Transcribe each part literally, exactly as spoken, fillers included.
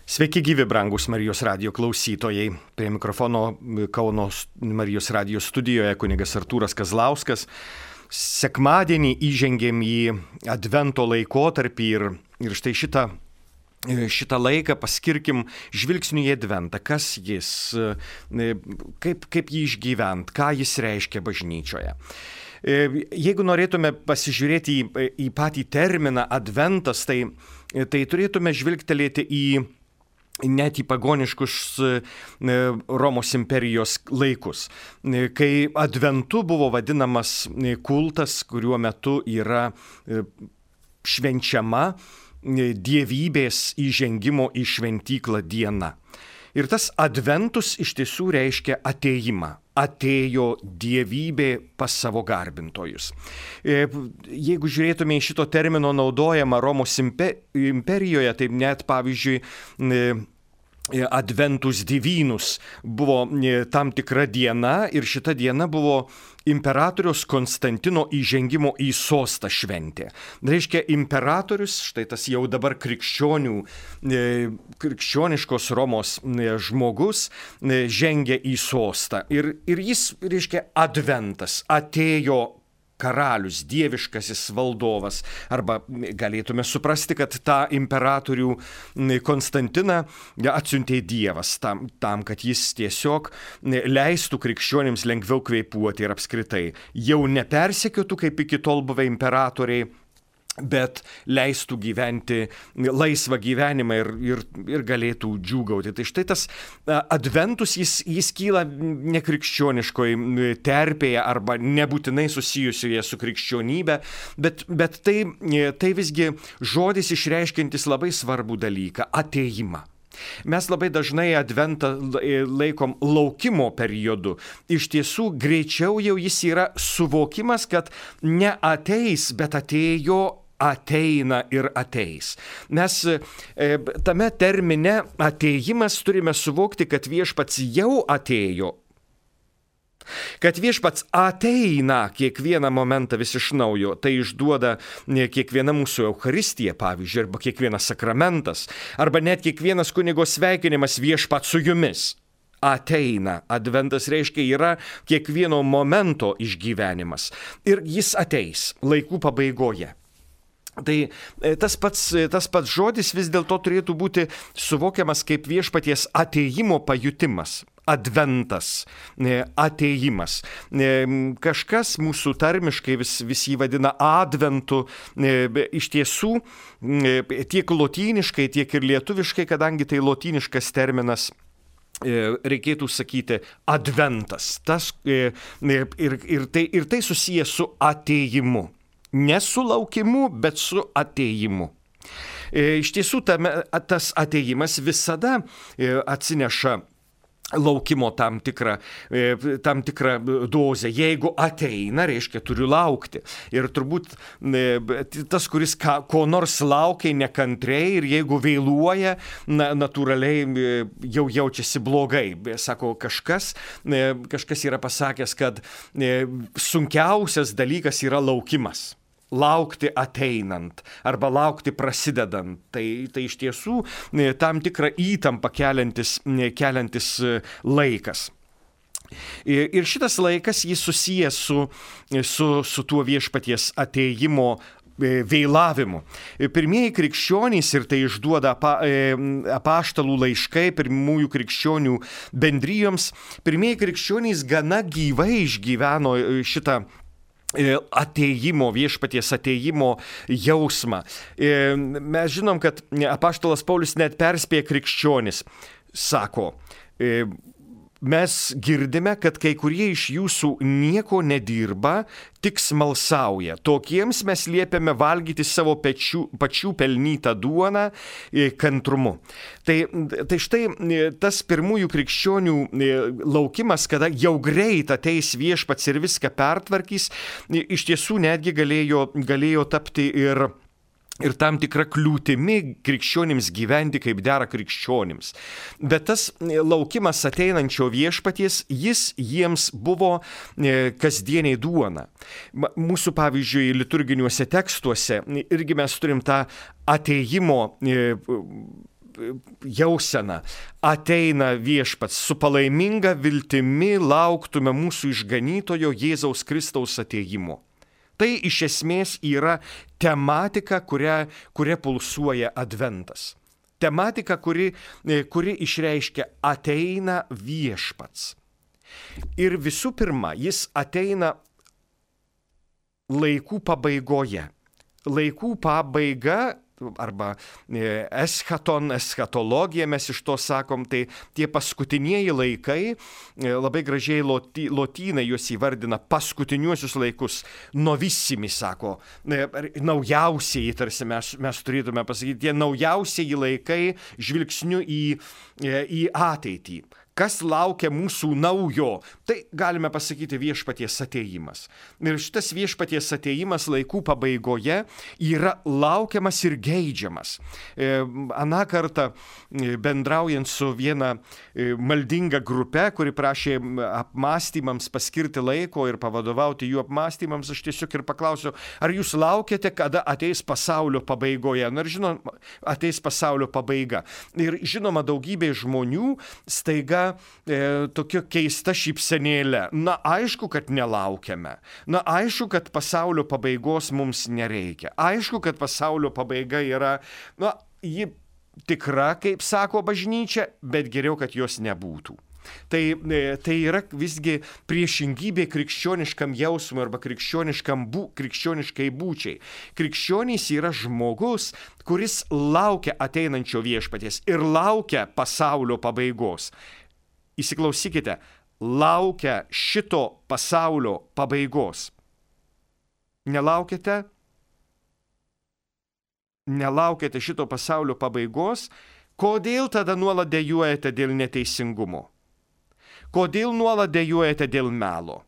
Sveiki gyvi, brangus Marijos radijo klausytojai. Prie mikrofono Kauno Marijos radijo studijoje kunigas Artūras Kazlauskas. Sekmadienį įžengėm į Advento laikotarpį ir, ir štai šitą, šitą laiką paskirkim žvilgsniu į Adventą. Kas jis, kaip, kaip jį išgyvent, ką jis reiškia bažnyčioje. Jeigu norėtume pasižiūrėti į, į patį terminą Adventas, tai, tai turėtume žvilgtelėti į net į pagoniškus Romos imperijos laikus, kai Adventu buvo vadinamas kultas, kuriuo metu yra švenčiama dievybės įžengimo į šventyklą diena. Ir tas Adventus iš tiesų reiškia atėjimą. Atėjo dievybė pas savo garbintojus. Jeigu žiūrėtume į šito termino naudojamą Romos imperijoje, tai net pavyzdžiui Adventus divinus buvo tam tikra diena ir šita diena buvo imperatoriaus Konstantino įžengimo į sostą šventė. Reiškia, imperatorius, štai tas jau dabar krikščionių, krikščioniškos Romos žmogus, žengia į sostą. Ir, ir jis, reiškia, Adventas, atėjo karalius, dieviškasis valdovas. Arba galėtume suprasti, kad tą imperatorių Konstantiną atsiuntė Dievas tam, tam, kad jis tiesiog leistų krikščionims lengviau kvėpuoti ir apskritai jau nepersekiotų kaip iki tol buvę imperatoriai, bet leistų gyventi laisvą gyvenimą ir, ir, ir galėtų džiūgauti. Tai štai tas Adventus, jis, jis kyla nekrikščioniškoje terpėje arba nebūtinai susijusioje su krikščionybė, bet, bet tai, tai visgi žodis išreiškiantis labai svarbų dalyką – atėjimą. Mes labai dažnai Adventą laikom laukimo periodu. Iš tiesų, greičiau jau jis yra suvokimas, kad ne ateis, bet atėjo, ateina ir ateis. Mes e, tame termine atėjimas turime suvokti, kad viešpats jau atėjo. Kad viešpats ateina kiekvieną momentą vis iš naujo, tai išduoda kiekviena mūsų Eucharistija, pavyzdžiui, arba kiekvienas sakramentas, arba net kiekvienas kunigo sveikinimas viešpats su jumis. Ateina. Adventas reiškia yra kiekvieno momento išgyvenimas. Ir jis ateis laikų pabaigoje. Tai tas pats, tas pats žodis vis dėlto turėtų būti suvokiamas kaip viešpaties atėjimo pajutimas. Adventas, atėjimas. Kažkas mūsų tarmiškai vis, vis jį vadina adventu. Iš tiesų, tiek lotyniškai, tiek ir lietuviškai, kadangi tai lotyniškas terminas, reikėtų sakyti adventas. Tas, ir, ir, tai, ir tai susijęs su atėjimu. Ne su laukimu, bet su atėjimu. Iš tiesų, tame, tas atėjimas visada atsineša laukimo tam tikrą, tam tikrą dozę. Jeigu ateina, reiškia, turiu laukti. Ir turbūt tas, kuris ka, ko nors laukia nekantriai ir jeigu vėluoja, na, natūraliai jau jaučiasi blogai. Sako, kažkas, kažkas yra pasakęs, kad sunkiausias dalykas yra laukimas. Laukti ateinant arba laukti prasidedant. Tai, tai iš tiesų tam tikrą įtampą keliantis, keliantis laikas. Ir šitas laikas jis susijęs su, su, su tuo viešpaties atėjimo vėlavimu. Pirmieji krikščionys, ir tai išduoda apaštalų laiškai pirmųjų krikščionių bendrijoms, pirmieji krikščionys gana gyvai išgyveno šitą atėjimo, viešpaties atėjimo jausmą. Mes žinom, kad apaštalas Paulius net perspėja krikščionis. Sako, mes girdime, kad kai kurie iš jūsų nieko nedirba, tik smalsauja. Tokiems mes liepiame valgyti savo pečių, pačių pelnytą duoną kantrumu. Tai, tai štai tas pirmųjų krikščionių laukimas, kada jau greit ateis viešpats ir viską pertvarkys, iš tiesų netgi galėjo, galėjo tapti ir ir tam tikra kliūtimi krikščionims gyventi kaip dera krikščionims. Bet tas laukimas ateinančio viešpaties, jis jiems buvo kasdieniai duona. Mūsų, pavyzdžiui, liturginiuose tekstuose irgi mes turim tą atėjimo jausena ateina viešpats su palaiminga viltimi lauktume mūsų išganytojo Jėzaus Kristaus atėjimo. Tai iš esmės yra tematika, kuria, kuria pulsuoja adventas. Tematika, kuri, kuri išreiškia ateina viešpats. Ir visų pirma, jis ateina laikų pabaigoje. Laikų pabaiga arba eschaton, eschatologija, mes iš to sakom, tai tie paskutinieji laikai, labai gražiai loti, lotynai juos įvardina paskutiniuosius laikus, novissimi sako, naujausiai, tarsi mes, mes turėtume pasakyti, tie naujausiai laikai žvilgsniu į, į ateitį. Kas laukia mūsų naujo, tai galime pasakyti viešpaties atėjimas. Ir šitas viešpaties atėjimas laikų pabaigoje yra laukiamas ir geidžiamas. Aną kartą bendraujant su viena maldinga grupe, kuri prašė apmąstymams paskirti laiko ir pavadovauti jų apmąstymams, aš tiesiog ir paklausiau, ar jūs laukiate, kada ateis pasaulio pabaigoje? Na ir žinoma, ateis pasaulio pabaiga. Ir žinoma, daugybė žmonių staiga E, tokia keista šypsenėlė. Na, aišku, kad nelaukiame. Na, aišku, kad pasaulio pabaigos mums nereikia. Aišku, kad pasaulio pabaiga yra, na, ji tikra, kaip sako bažnyčia, bet geriau, kad jos nebūtų. Tai, tai yra visgi priešingybė krikščioniškam jausmui arba krikščioniškam bū, krikščioniškai būčiai. Krikščionys yra žmogus, kuris laukia ateinančio viešpaties ir laukia pasaulio pabaigos. Įsiklausykite, laukia šito pasaulio pabaigos. Nelaukite? Nelaukite šito pasaulio pabaigos? Kodėl tada nuolat dejuojate dėl neteisingumo? Kodėl nuolat dejuojate dėl melo?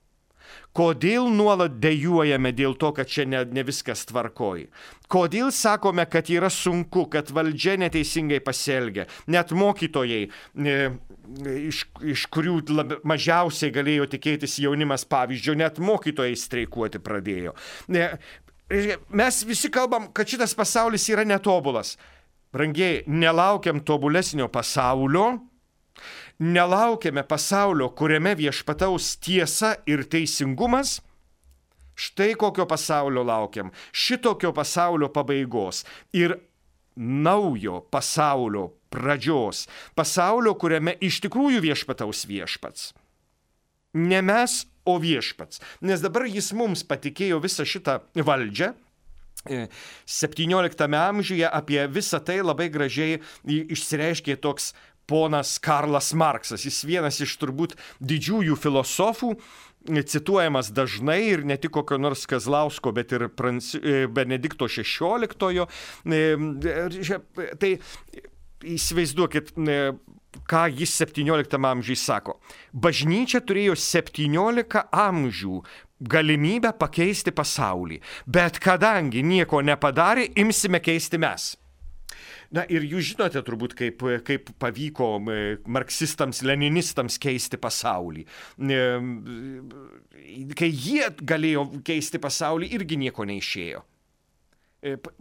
Kodėl nuolat dejuojame dėl to, kad čia ne, ne viskas tvarkoj? Kodėl sakome, kad yra sunku, kad valdžia neteisingai pasielgia? Net mokytojai, e, iš, iš kurių lab, mažiausiai galėjo tikėtis jaunimas pavyzdžio, net mokytojai streikuoti pradėjo. E, mes visi kalbam, kad šitas pasaulis yra netobulas. Brangiai, nelaukiam tobulesnio pasaulio. Nelaukiame pasaulio, kuriame viešpataus tiesa ir teisingumas. Štai kokio pasaulio laukiam. Šitokio pasaulio pabaigos ir naujo pasaulio pradžios. Pasaulio, kuriame iš tikrųjų viešpataus viešpats. Ne mes, o viešpats. Nes dabar jis mums patikėjo visą šitą valdžią. septynioliktame amžiuje apie visą tai labai gražiai išsireiškė toks ponas Karlas Marksas. Jis vienas iš turbūt didžiųjų filosofų, cituojamas dažnai ir ne tik kokio nors Kazlausko, bet ir Pranci... Benedikto šešioliktojo. Tai įsivaizduokit, ką jis septynioliktame amžiuje sako. Bažnyčia turėjo septyniolika amžių galimybę pakeisti pasaulį, bet kadangi nieko nepadarė, imsime keisti mes. Na ir jūs žinote turbūt, kaip, kaip pavyko marksistams, leninistams keisti pasaulį. Kai jie galėjo keisti pasaulį, irgi nieko neišėjo.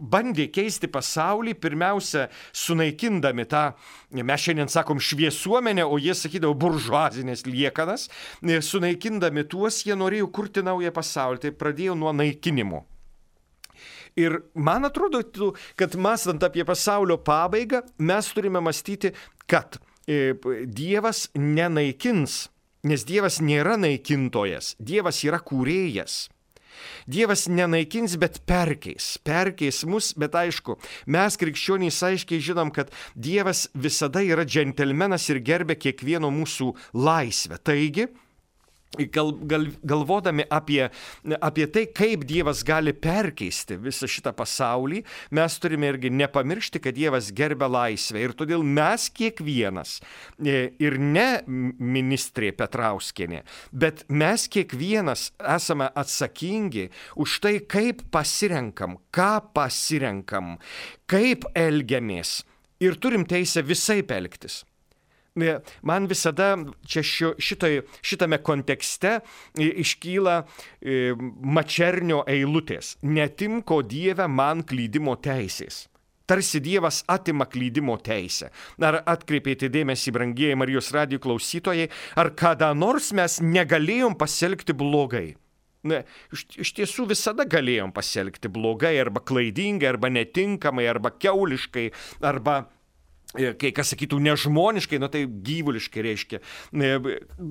Bandė keisti pasaulį, pirmiausia, sunaikindami tą, mes šiandien sakom, šviesuomenę, o jie sakydavo buržuazinės liekanas, sunaikindami tuos, jie norėjo kurti naują pasaulį, tai pradėjo nuo naikinimo. Ir man atrodo, kad mąstant apie pasaulio pabaigą, mes turime mąstyti, kad Dievas nenaikins, nes Dievas nėra naikintojas, Dievas yra kūrėjas. Dievas nenaikins, bet perkeis, perkeis mus, bet aišku, mes krikščionys aiškiai žinom, kad Dievas visada yra džentelmenas ir gerbia kiekvieno mūsų laisvę. Taigi, Gal, gal, galvodami apie, apie tai, kaip Dievas gali perkeisti visą šitą pasaulį, mes turime irgi nepamiršti, kad Dievas gerbia laisvę. Ir todėl mes kiekvienas, ir ne ministrė Petrauskienė, bet mes kiekvienas esame atsakingi už tai, kaip pasirenkam, ką pasirenkam, kaip elgiamės. Ir turim teisę visaip elgtis. Man visada čia šitai, šitame kontekste iškyla Mačernio eilutės. Netimko Dieve man klydimo teisės. tarsi Dievas atima klydimo teisę. Ar atkreipėte dėmesį, brangieji Marijos radijo klausytojai, ar kada nors mes negalėjom pasielgti blogai? Ne, iš, iš tiesų visada galėjom pasielgti blogai, arba klaidingai, arba netinkamai, arba kiauliškai, arba kai kas sakytų nežmoniškai, nu tai gyvuliškai reiškia.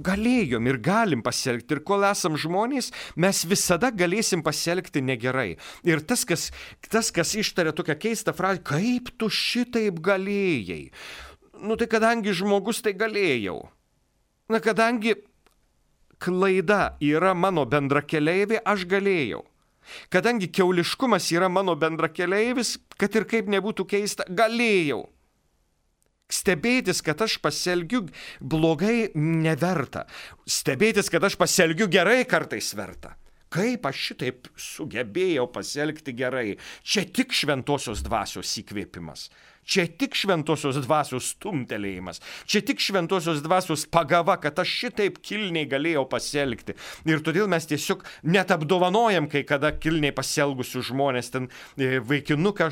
Galėjom ir galim pasielgti. Ir kol esam žmonės, mes visada galėsim pasielgti negerai. Ir tas, kas, tas, kas ištaria tokią keistą frazę, kaip tu šitaip galėjai? Nu tai kadangi žmogus, tai galėjau. Na kadangi klaida yra mano bendrakeleivė, aš galėjau. Kadangi kiauliškumas yra mano bendrakeleivis, kad ir kaip nebūtų keista, galėjau. Stebėtis, kad aš pasielgiu blogai, neverta. Stebėtis, kad aš pasielgiu gerai, kartais verta. Kaip aš šitaip sugebėjau pasielgti gerai? Čia tik šventosios dvasios įkvėpimas. Čia tik šventosios dvasios stumtelėjimas. Čia tik šventosios dvasios pagava, kad aš šitaip kilniai galėjau pasielgti. Ir todėl mes tiesiog net apdovanojam, kai kada kilniai pasielgusių žmonės, ten vaikinuką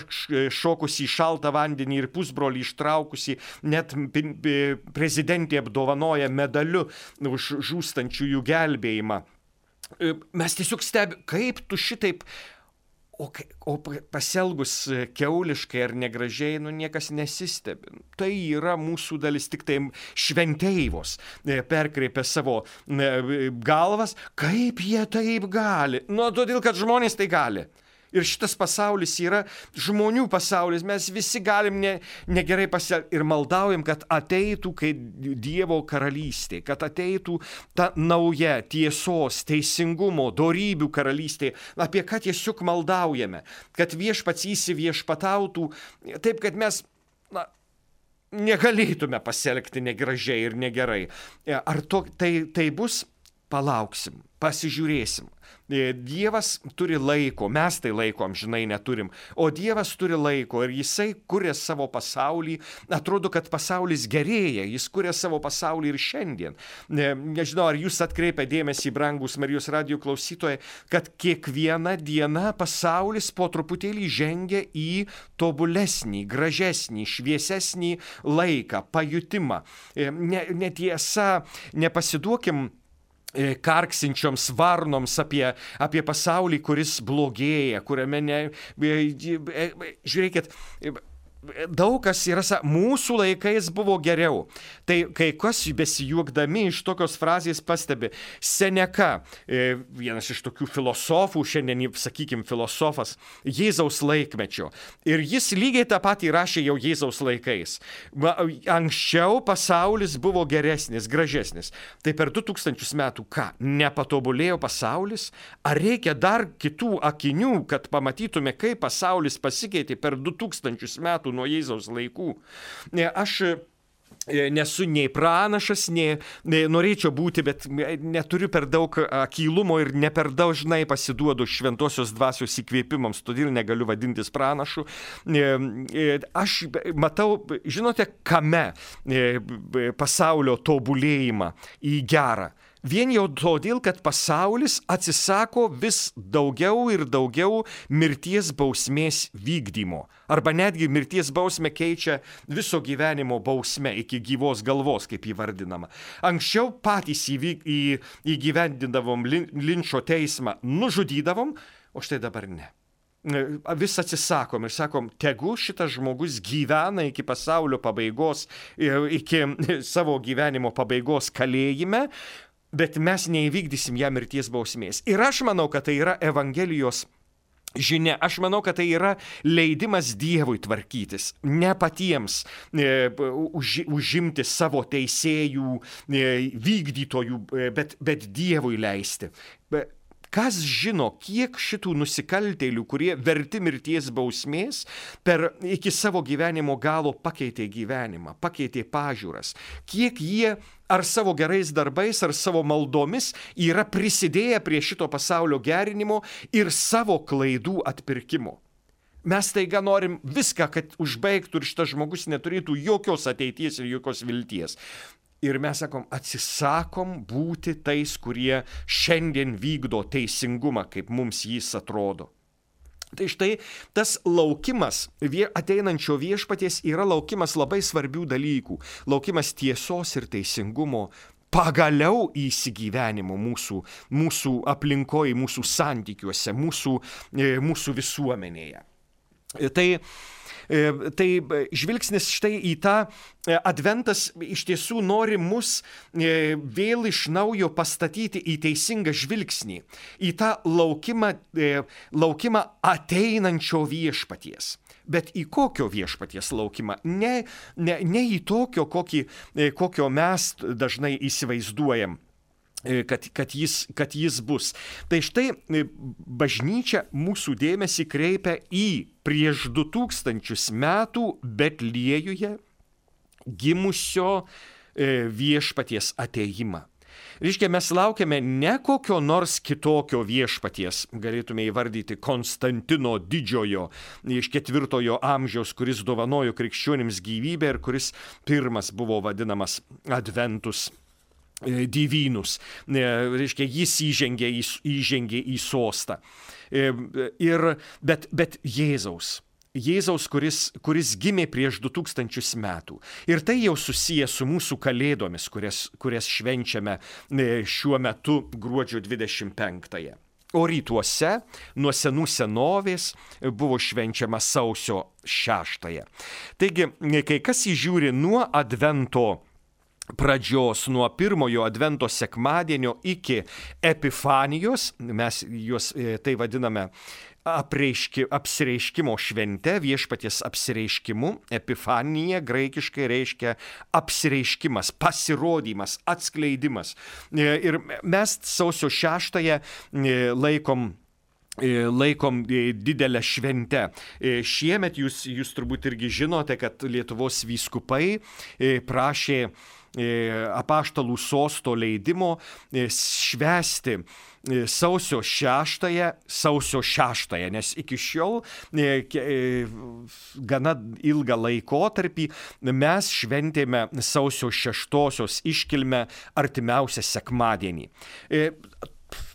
šokusį į šaltą vandenį ir pusbrolį ištraukusį, net prezidentė apdovanoja medaliu už žūstančiųjų gelbėjimą. Mes tiesiog stebime, kaip tu šitaip, o, o pasielgus kiauliškai ar negražiai, nu niekas nesistebi. Tai yra mūsų dalis, tik tai šventeivos perkreipia savo galvas, kaip jie taip gali. Nu, todėl, kad žmonės tai gali. Ir šitas pasaulis yra žmonių pasaulis, mes visi galim ne, negerai pasielgti ir maldaujam, kad ateitų kaip Dievo karalystė, kad ateitų ta nauja tiesos, teisingumo, dorybių karalystė, apie ką tiesiog maldaujame, kad viešpats įsiviešpatautų, taip kad mes na, negalėtume pasielgti negražiai ir negerai. Ar to, tai, tai bus? Palauksim, pasižiūrėsim. Dievas turi laiko, mes tai laiko amžinai neturim, o Dievas turi laiko ir jisai kuria savo pasaulį, atrodo, kad pasaulis gerėja, jis kuria savo pasaulį ir šiandien. Nežinau, ar jūs atkreipia dėmesį, brangus Marijos radijo klausytojai, kad kiekviena diena pasaulis po truputėlį žengia į tobulesnį, gražesnį, šviesesnį laiką, pajutimą. Netiesa, nepasiduokim karksinčioms varnoms apie, apie pasaulį, kuris blogėja, kuriame ne... Žiūrėkit, daug kas yra, mūsų laikais buvo geriau. Tai kai kas besijuokdami iš tokios frazės pastebi, Seneka, vienas iš tokių filosofų, šiandien, sakykim, filosofas, Jėzaus laikmečio. Ir jis lygiai tą patį rašė jau Jėzaus laikais. Anksčiau pasaulis buvo geresnis, gražesnis. Tai per du tūkstančius metų ką? Nepatobulėjo pasaulis? Ar reikia dar kitų akinių, kad pamatytume, kaip pasaulis pasikeitė per du tūkstančius metų nuo Jėzaus laikų? Aš nesu nei pranašas, nei, nei norėčiau būti, bet neturiu per daug akylumo ir ne per dažnai pasiduodu šventosios dvasios įkvėpimams, todėl negaliu vadintis pranašu. Aš matau, žinote, kame pasaulio tobulėjimą į gerą. Vien jau todėl, kad pasaulis atsisako vis daugiau ir daugiau mirties bausmės vykdymo. Arba netgi mirties bausmę keičia viso gyvenimo bausme iki gyvos galvos, kaip įvardinama. Anksčiau patys įvyk, į, įgyvendindavom lin, linčo teismą, nužudydavom, o štai dabar ne. Vis atsisakom ir sakom, tegu šitas žmogus gyvena iki pasaulio pabaigos, iki savo gyvenimo pabaigos kalėjime, bet mes neįvykdysim ją mirties bausmės. Ir aš manau, kad tai yra Evangelijos žinia. Aš manau, kad tai yra leidimas Dievui tvarkytis, ne patiems e, už, užimti savo teisėjų, e, vykdytojų, e, bet, bet Dievui leisti. Be, Kas žino, kiek šitų nusikaltėlių, kurie verti mirties bausmės, per iki savo gyvenimo galo pakeitė gyvenimą, pakeitė pažiūras. Kiek jie ar savo gerais darbais, ar savo maldomis yra prisidėję prie šito pasaulio gerinimo ir savo klaidų atpirkimo. Mes taiga norim viską, kad užbaigtų ir šitas žmogus neturėtų jokios ateities ir jokios vilties. Ir mes sakom, atsisakom būti tais, kurie šiandien vykdo teisingumą, kaip mums jis atrodo. Tai štai tas laukimas ateinančio viešpaties yra laukimas labai svarbių dalykų. Laukimas tiesos ir teisingumo, pagaliau įsigyvenimo mūsų, mūsų aplinkoje, mūsų santykiuose, mūsų, mūsų visuomenėje. Tai Tai žvilgsnis štai į tą adventas iš tiesų nori mus vėl iš naujo pastatyti į teisingą žvilgsnį, į tą laukimą, laukimą ateinančio viešpaties. Bet į kokio viešpaties laukimą? Ne, ne, ne į tokio, kokį, kokio mes dažnai įsivaizduojam. Kad, kad, jis, kad jis bus. Tai štai bažnyčia mūsų dėmesį kreipia į prieš du tūkstančius metų Betliejuje gimusio viešpaties atėjimą. Reiškia, mes laukiame ne kokio nors kitokio viešpaties, galėtume įvardyti Konstantino didžiojo iš ketvirtojo amžiaus, kuris dovanojo krikščionims gyvybę ir kuris pirmas buvo vadinamas Adventus Divynus. Reiškia, jis įžengė į, įžengė į sostą. Ir, bet, bet Jėzaus. Jėzaus, kuris, kuris gimė prieš du tūkstančius metų. Ir tai jau susiję su mūsų kalėdomis, kurias, kurias švenčiame šiuo metu gruodžio dvidešimt penktąją. O rytuose nuo senų senovės buvo švenčiama sausio šeštąją. Taigi, kai kas įžiūri nuo Advento pradžios, nuo pirmojo Advento sekmadienio iki Epifanijos, mes juos tai vadiname apreiški, apsireiškimo švente, viešpaties apsireiškimu. Epifanija graikiškai reiškia apsireiškimas, pasirodymas, atskleidimas. Ir mes sausio šeštąją laikom laikom didelę šventę. Šiemet jūs, jūs turbūt irgi žinote, kad Lietuvos vyskupai prašė apaštalų sosto leidimo švęsti sausio šeštąją, sausio šeštąją, nes iki šiol gana ilgą laikotarpį mes šventėme sausio šeštosios iškilmę artimiausią sekmadienį.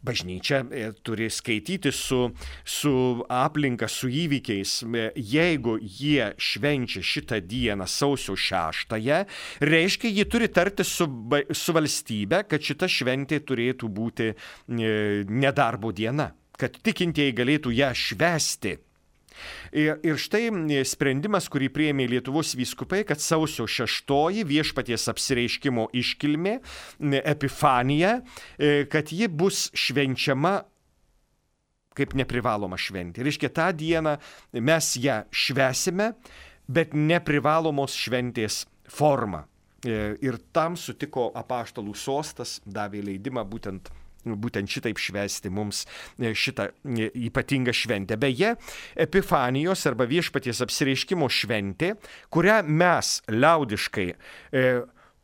Bažnyčia turi skaityti su, su aplinka, su įvykiais. Jeigu jie švenčia šitą dieną sausio šeštąją, reiškia, jie turi tartis su, su valstybe, kad šita šventė turėtų būti nedarbo diena, kad tikintieji galėtų ją švęsti. Ir, ir štai sprendimas, kurį priėmė Lietuvos vyskupai, kad sausio šeštoji viešpaties apsireiškimo iškilmė, Epifanija, kad ji bus švenčiama kaip neprivaloma šventė. Reiškia, tą dieną mes ją švęsime, bet neprivalomos šventės forma. Ir tam sutiko apaštalų sostas, davė leidimą būtent būtent šitaip švęsti mums šitą ypatingą šventę. Beje, Epifanijos arba viešpaties apsireiškimo šventė, kurią mes liaudiškai e,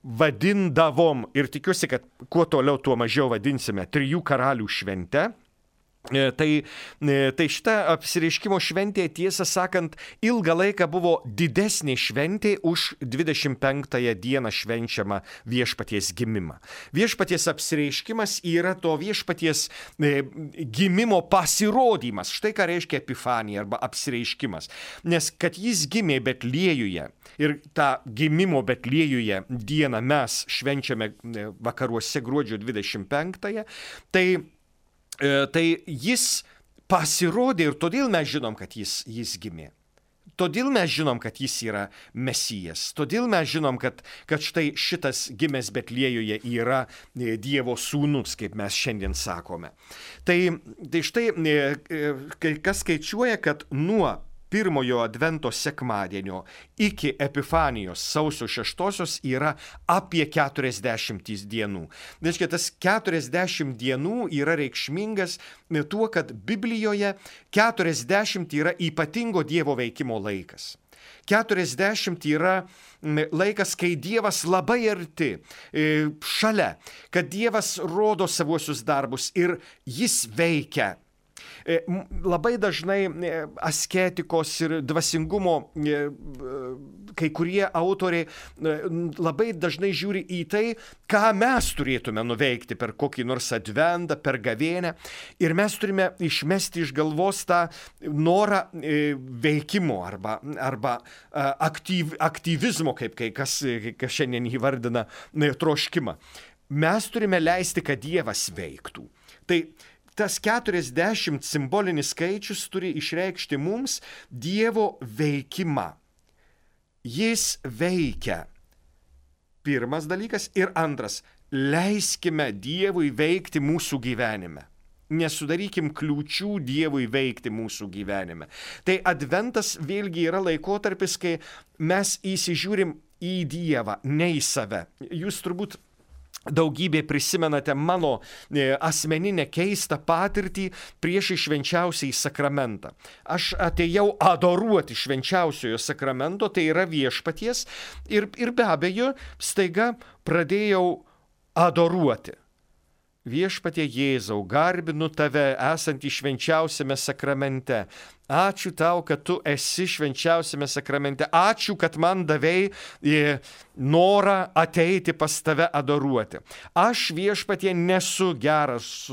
vadindavom, ir tikiuosi, kad kuo toliau, tuo mažiau vadinsime, trijų karalių šventę. Tai, tai šita apsireiškimo šventė, tiesą sakant, ilgą laiką buvo didesnė šventė už dvidešimt penktąją dieną švenčiamą viešpaties gimimą. Viešpaties apsireiškimas yra to viešpaties gimimo pasirodymas. Štai ką reiškia Epifanija arba apsireiškimas. Nes kad jis gimė Betliejuje ir tą gimimo Betliejuje dieną mes švenčiame vakaruose gruodžio dvidešimt penktąją, tai Tai jis pasirodė ir todėl mes žinom, kad jis, jis gimė. Todėl mes žinom, kad jis yra Mesijas. Todėl mes žinom, kad, kad štai šitas gimęs Betliejuje yra Dievo sūnus, kaip mes šiandien sakome. Tai, tai štai, kas skaičiuoja, kad nuo pirmojo Advento sekmadienio iki Epifanijos sausio šeštosios yra apie keturiasdešimt dienų. Reiškia, tas keturiasdešimt dienų yra reikšmingas tuo, kad Biblijoje keturiasdešimt yra ypatingo Dievo veikimo laikas. keturiasdešimt yra laikas, kai Dievas labai arti, šalia, kad Dievas rodo savuosius darbus ir jis veikia. Labai dažnai asketikos ir dvasingumo kai kurie autoriai labai dažnai žiūri į tai, ką mes turėtume nuveikti per kokį nors adventą, per gavėnią. Ir mes turime išmesti iš galvos tą norą veikimo arba, arba aktyv, aktyvizmo, kaip kai kas, kas šiandien įvardina troškimą. Mes turime leisti, kad Dievas veiktų. Tai tas keturiasdešimt simbolinis skaičius turi išreikšti mums Dievo veikimą. Jis veikia. Pirmas dalykas. Ir antras. Leiskime Dievui veikti mūsų gyvenime. Nesudarykim kliūčių Dievui veikti mūsų gyvenime. Tai adventas vėlgi yra laikotarpis, kai mes įsižiūrim į Dievą, ne į save. Jūs turbūt daugybė prisimenate mano asmeninę keistą patirtį prieš švenčiausiąjį sakramentą. Aš atėjau adoruoti švenčiausiojo sakramento, tai yra viešpaties, ir, ir be abejo staiga pradėjau adoruoti. Viešpatie Jėzau, garbinu tave, esantį švenčiausiame sakramente. Ačiū tau, kad tu esi švenčiausiame sakramente. Ačiū, kad man davei norą ateiti pas tave adoruoti. Aš, viešpatie, nesu geras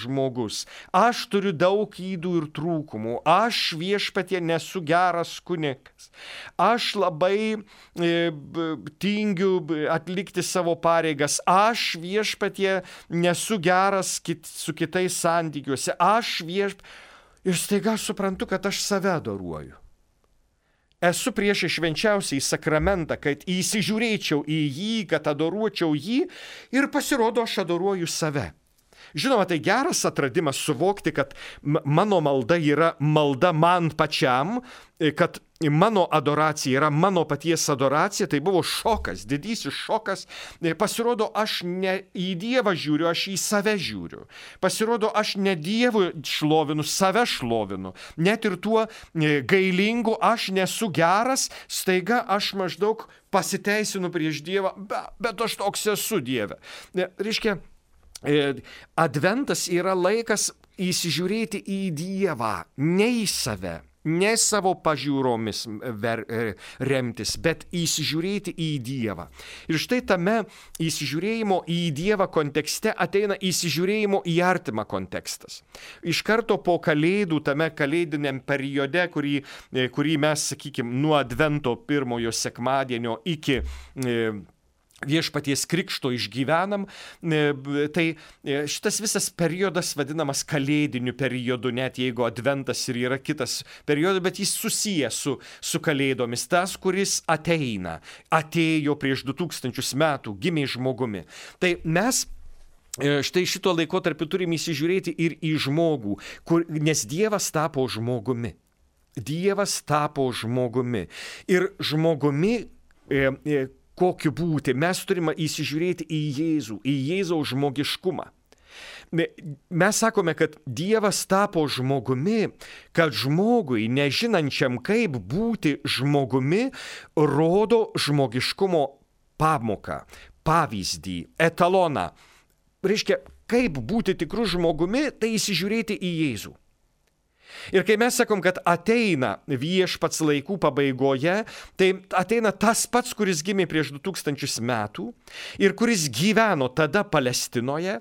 žmogus. Aš turiu daug ydų ir trūkumų. Aš, viešpatie, nesu geras kunigas. Aš labai e, tingiu atlikti savo pareigas. Aš, viešpatie, nesu geras kit, su kitais santykiuose. Aš, viešpatie, ir staiga suprantu, kad aš save adoruoju. Esu prieš švenčiausiąjį sakramentą, kad įsižiūrėčiau į jį, kad adoruočiau jį, ir pasirodo, aš adoruoju save. Žinoma, tai geras atradimas suvokti, kad mano malda yra malda man pačiam, kad mano adoracija yra mano paties adoracija. Tai buvo šokas, didysis šokas. Pasirodo, aš ne į Dievą žiūriu, aš į save žiūriu. Pasirodo, aš ne Dievui šlovinu, save šlovinu. Net ir tuo gailingu aš nesu geras, staiga aš maždaug pasiteisinu prieš Dievą, bet aš toks esu Dieve. Reiškia, adventas yra laikas įsižiūrėti į Dievą, ne į save, ne savo pažiūromis ver, remtis, bet įsižiūrėti į Dievą. Ir štai tame įsižiūrėjimo į Dievą kontekste ateina įsižiūrėjimo į artimą kontekstas. Iš karto po kalėdų, tame kalėdiniam periode, kurį, kurį mes, sakykime, nuo advento pirmojo sekmadienio iki viešpaties krikšto išgyvenam, tai šitas visas periodas vadinamas kalėdiniu periodu, net jeigu adventas ir yra kitas periodas, bet jis susijęs su, su kalėdomis. Tas, kuris ateina, atėjo prieš du tūkstančius metų, gimė žmogumi. Tai mes štai šito laikotarpiu turim įsižiūrėti ir į žmogų, kur, nes Dievas tapo žmogumi. Dievas tapo žmogumi. Ir žmogumi e, e, kokiu būti, mes turime įsižiūrėti į Jėzų, į Jėzaus žmogiškumą. Mes sakome, kad Dievas tapo žmogumi, kad žmogui, nežinančiam kaip būti žmogumi, rodo žmogiškumo pamoką, pavyzdį, etaloną. Reiškia, kaip būti tikru žmogumi, tai įsižiūrėti į Jėzų. Ir kai mes sakom, kad ateina viešpats laikų pabaigoje, tai ateina tas pats, kuris gimė prieš du tūkstančius metų ir kuris gyveno tada Palestinoje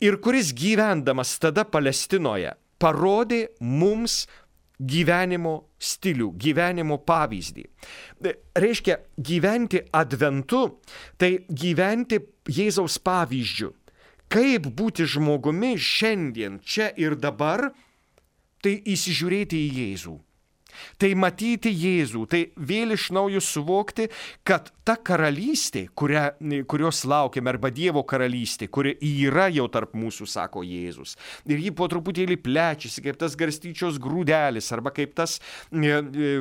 ir kuris gyvendamas tada Palestinoje parodė mums gyvenimo stilių, gyvenimo pavyzdį. Reiškia, gyventi adventu, tai gyventi Jėzaus pavyzdžiu. Kaip būti žmogumi šiandien, čia ir dabar, tai įsižiūrėti į Jėzų. Tai matyti Jėzų, tai vėl iš naujo suvokti, kad ta karalystė, kurią, kurios laukiame, arba Dievo karalystė, kuri yra jau tarp mūsų, sako Jėzus. Ir ji po truputėlį plečiasi, kaip tas garstyčios grūdelis, arba kaip tas E, e,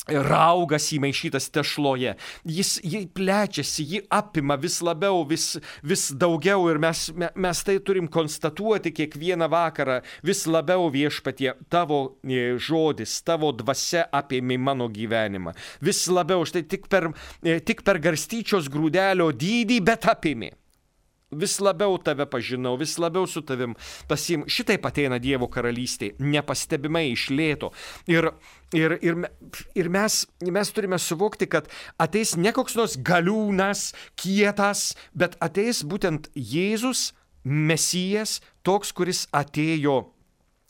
raugas įmaišytas tešloje. Jis jį plečiasi, jį apima vis labiau, vis, vis daugiau, ir mes, mes tai turim konstatuoti kiekvieną vakarą. Vis labiau, Viešpatie, tavo žodis, tavo dvasia apėmė mano gyvenimą. Vis labiau, štai tik per, tik per garstyčios grūdelio dydį, bet apėmė. vis labiau tave pažinau, vis labiau su tavim pasiimu. Šitaip ateina Dievo karalystė, nepastebimai iš lėto. Ir, ir, ir, ir mes, mes turime suvokti, kad ateis ne koks nors galiūnas, kietas, bet ateis būtent Jėzus, Mesijas, toks, kuris atėjo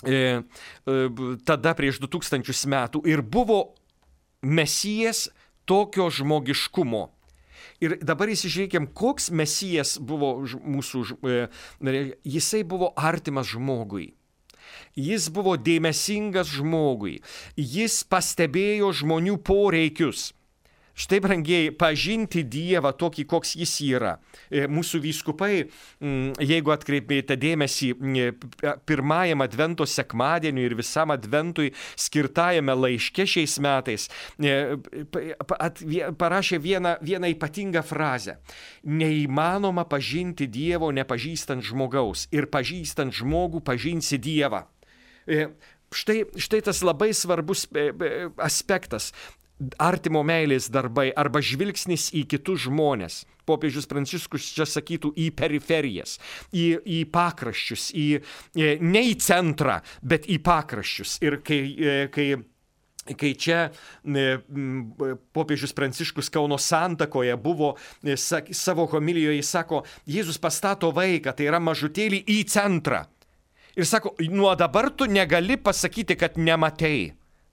e, e, tada prieš du tūkstančius metų ir buvo Mesijas tokio žmogiškumo. Ir dabar įsižiūrėkim, koks Mesijas buvo mūsų, jisai buvo artimas žmogui. Jis buvo dėmesingas žmogui. Jis pastebėjo žmonių poreikius. Štai, brangieji, pažinti Dievą tokį, koks jis yra. Mūsų vyskupai, jeigu atkreipėte dėmesį, pirmajam Advento sekmadieniui ir visam Adventui skirtajame laiške šiais metais, parašė vieną, vieną ypatingą frazę. Neįmanoma pažinti Dievo nepažįstant žmogaus ir pažįstant žmogų pažinsi Dievą. Štai, štai tas labai svarbus aspektas. Artimo meilės darbai arba žvilgsnis į kitus žmonės. Popiežius Pranciškus čia sakytų į periferijas, į, į pakraščius, į, ne į centrą, bet į pakraščius. Ir kai, kai, kai čia popiežius Pranciškus Kauno santakoje buvo, savo homilijoje jis sako, Jėzus pastato vaiką, tai yra mažutėlį, į centrą. Ir sako, nuo dabar tu negali pasakyti, kad nematei.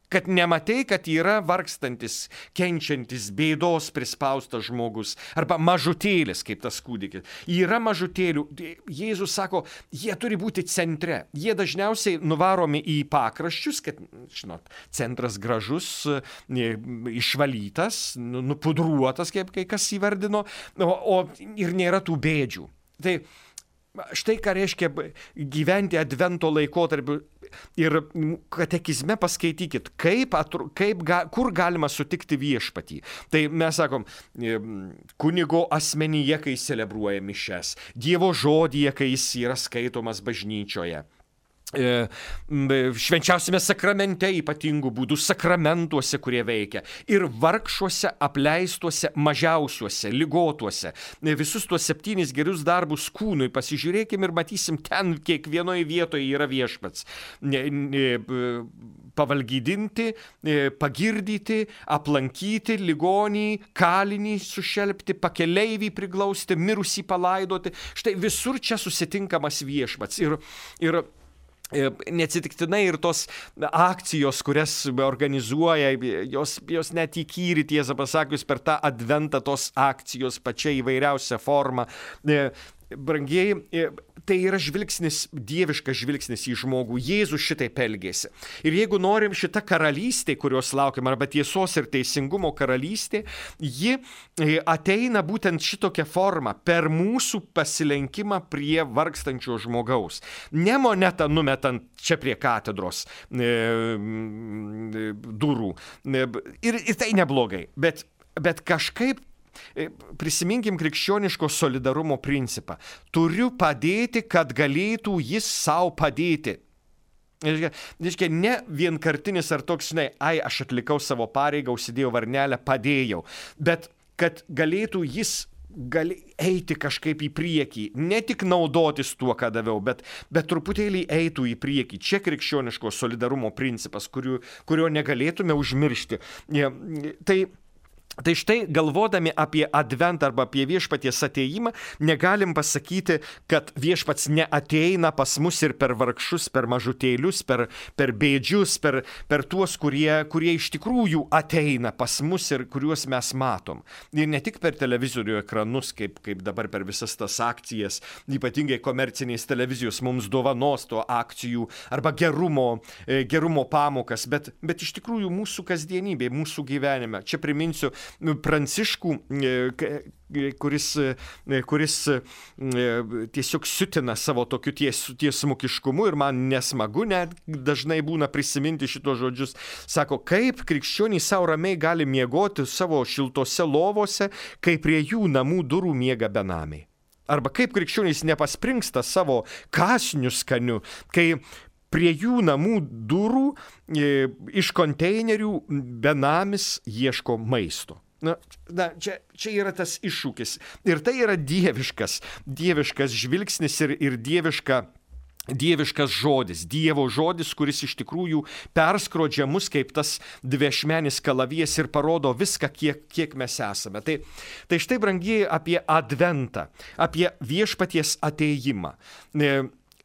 Kad nematei, kad yra vargstantis, kenčiantis, bėdos prispaustas žmogus, arba mažutėlis, kaip tas kūdikis. Yra mažutėlių, Jėzus sako, jie turi būti centre. Jie dažniausiai nuvaromi į pakraščius, kad, žinot, centras gražus, išvalytas, nupudruotas, kaip kai kas įvardino, o, o ir nėra tų bėdžių. Tai štai ką reiškia gyventi Advento laikotarpiu. Ir katekizme paskaitykit, kaip, atru, kaip ga, kur galima sutikti viešpatį. Tai mes sakom, kunigo asmenyje, kai celebruoja mišias, Dievo žodyje, kai jis yra skaitomas bažnyčioje. Švenčiausiame sakramente ypatingų būdų, sakramentuose, kurie veikia, ir vargšuose, apleistuose, mažiausiuose, ligotuose. Visus tuos septynis gerus darbus kūnui pasižiūrėkim ir matysim, ten kiekvienoje vietoje yra viešpats. Pavalgydinti, pagirdyti, aplankyti ligonį, kalinį sušelpti, pakeleivį priglausti, mirusį palaidoti. Štai visur čia susitinkamas viešpats. Ir, ir neatsitiktinai ir tos akcijos, kurias organizuoja, jos, jos net įkyri, tiesą pasakius, per tą adventą tos akcijos pačia įvairiausia forma. Brangieji, tai yra žvilgsnis, dieviškas žvilgsnis į žmogų. Jėzus šitaip elgėsi. Ir jeigu norim šitą karalystę, kurios laukiam, arba tiesos ir teisingumo karalystė, ji ateina būtent šitokia forma, per mūsų pasilenkimą prie vargstančio žmogaus. Ne monetą numetant čia prie katedros e, durų. Ir, ir tai neblogai, bet, bet kažkaip prisiminkim krikščioniško solidarumo principą. Turiu padėti, kad galėtų jis savo padėti. Reiškia, ne vienkartinis ar toks, žinai, ai, aš atlikau savo pareigą, užsidėjau varnelę, padėjau, bet kad galėtų jis gali eiti kažkaip į priekį, ne tik naudotis tuo, ką daviau, bet, bet truputėlį eitų į priekį. Čia krikščioniško solidarumo principas, kurio, kurio negalėtume užmiršti. Tai Tai štai, galvodami apie adventą arba apie viešpaties atėjimą, negalim pasakyti, kad viešpats neateina pas mus ir per vargšus, per mažutėlius, per, per bėdžius, per, per tuos, kurie, kurie iš tikrųjų ateina pas mus ir kuriuos mes matom. Ir ne tik per televizorių ekranus, kaip, kaip dabar per visas tas akcijas, ypatingai komercinės televizijos mums dovanos to akcijų arba gerumo, gerumo pamokas, bet, bet iš tikrųjų mūsų kasdienybė, mūsų gyvenime. Čia priminsiu Pranciškų, kuris, kuris tiesiog siutina savo tokiu ties, tiesmukiškumu ir man nesmagu net dažnai būna prisiminti šitos žodžius. Sako, kaip krikščionys savo ramiai gali miegoti savo šiltose lovose, kai prie jų namų durų miega benamiai. Arba kaip krikščionys nepaspringsta savo kąsniu skaniu, kai prie jų namų durų e, iš konteinerių benamis ieško maisto. Na, na čia, čia yra tas iššūkis. Ir tai yra dieviškas, dieviškas žvilgsnis ir, ir dieviška, dieviškas žodis. Dievo žodis, kuris iš tikrųjų perskrodžia mus kaip tas dviašmenis kalavijas ir parodo viską, kiek, kiek mes esame. Tai, tai štai, brangieji, apie adventą, apie viešpaties atėjimą.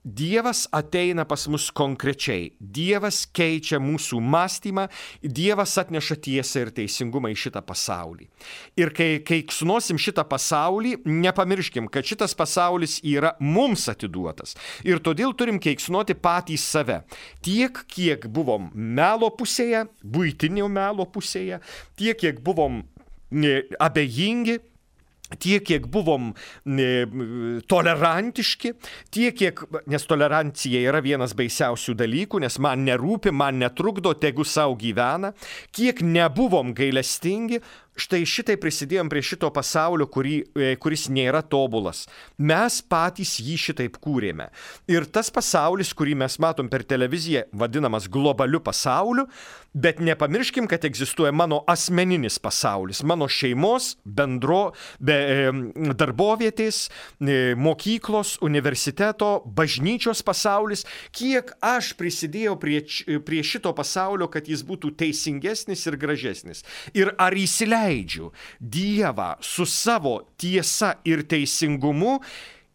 Dievas ateina pas mus konkrečiai. Dievas keičia mūsų mąstymą, Dievas atneša tiesą ir teisingumą į šitą pasaulį. Ir kai keiksnosim šitą pasaulį, nepamirškim, kad šitas pasaulis yra mums atiduotas. Ir todėl turim keiksnoti patys save. Tiek, kiek buvom melo pusėje, buitinio melo pusėje, tiek, kiek buvom abejingi, tiek, kiek buvom e, tolerantiški, tiek, kiek, nes tolerancija yra vienas baisiausių dalykų, nes man nerūpi, man netrukdo, tegu savo gyvena, kiek nebuvom gailestingi, štai šitai prisidėjom prie šito pasaulio, kurį, kuris nėra tobulas. Mes patys jį šitaip kūrėme. Ir tas pasaulis, kurį mes matom per televiziją, vadinamas globaliu pasauliu, bet nepamirškim, kad egzistuoja mano asmeninis pasaulis, mano šeimos, bendro, be, darbovietės, mokyklos, universiteto, bažnyčios pasaulis, kiek aš prisidėjau prie, prie šito pasaulio, kad jis būtų teisingesnis ir gražesnis. Ir ar įsileidžiu leidžiu Dievą su savo tiesa ir teisingumu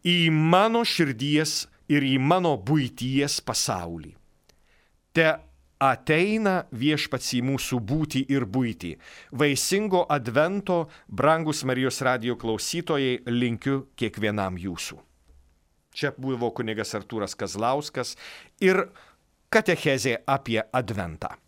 į mano širdies ir į mano buities pasaulį. Te ateina viešpats į mūsų būtį ir buitį. Vaisingo advento, brangus Marijos radijo klausytojai, linkiu kiekvienam jūsų. Čia buvo kunigas Artūras Kazlauskas ir katechezė apie adventą.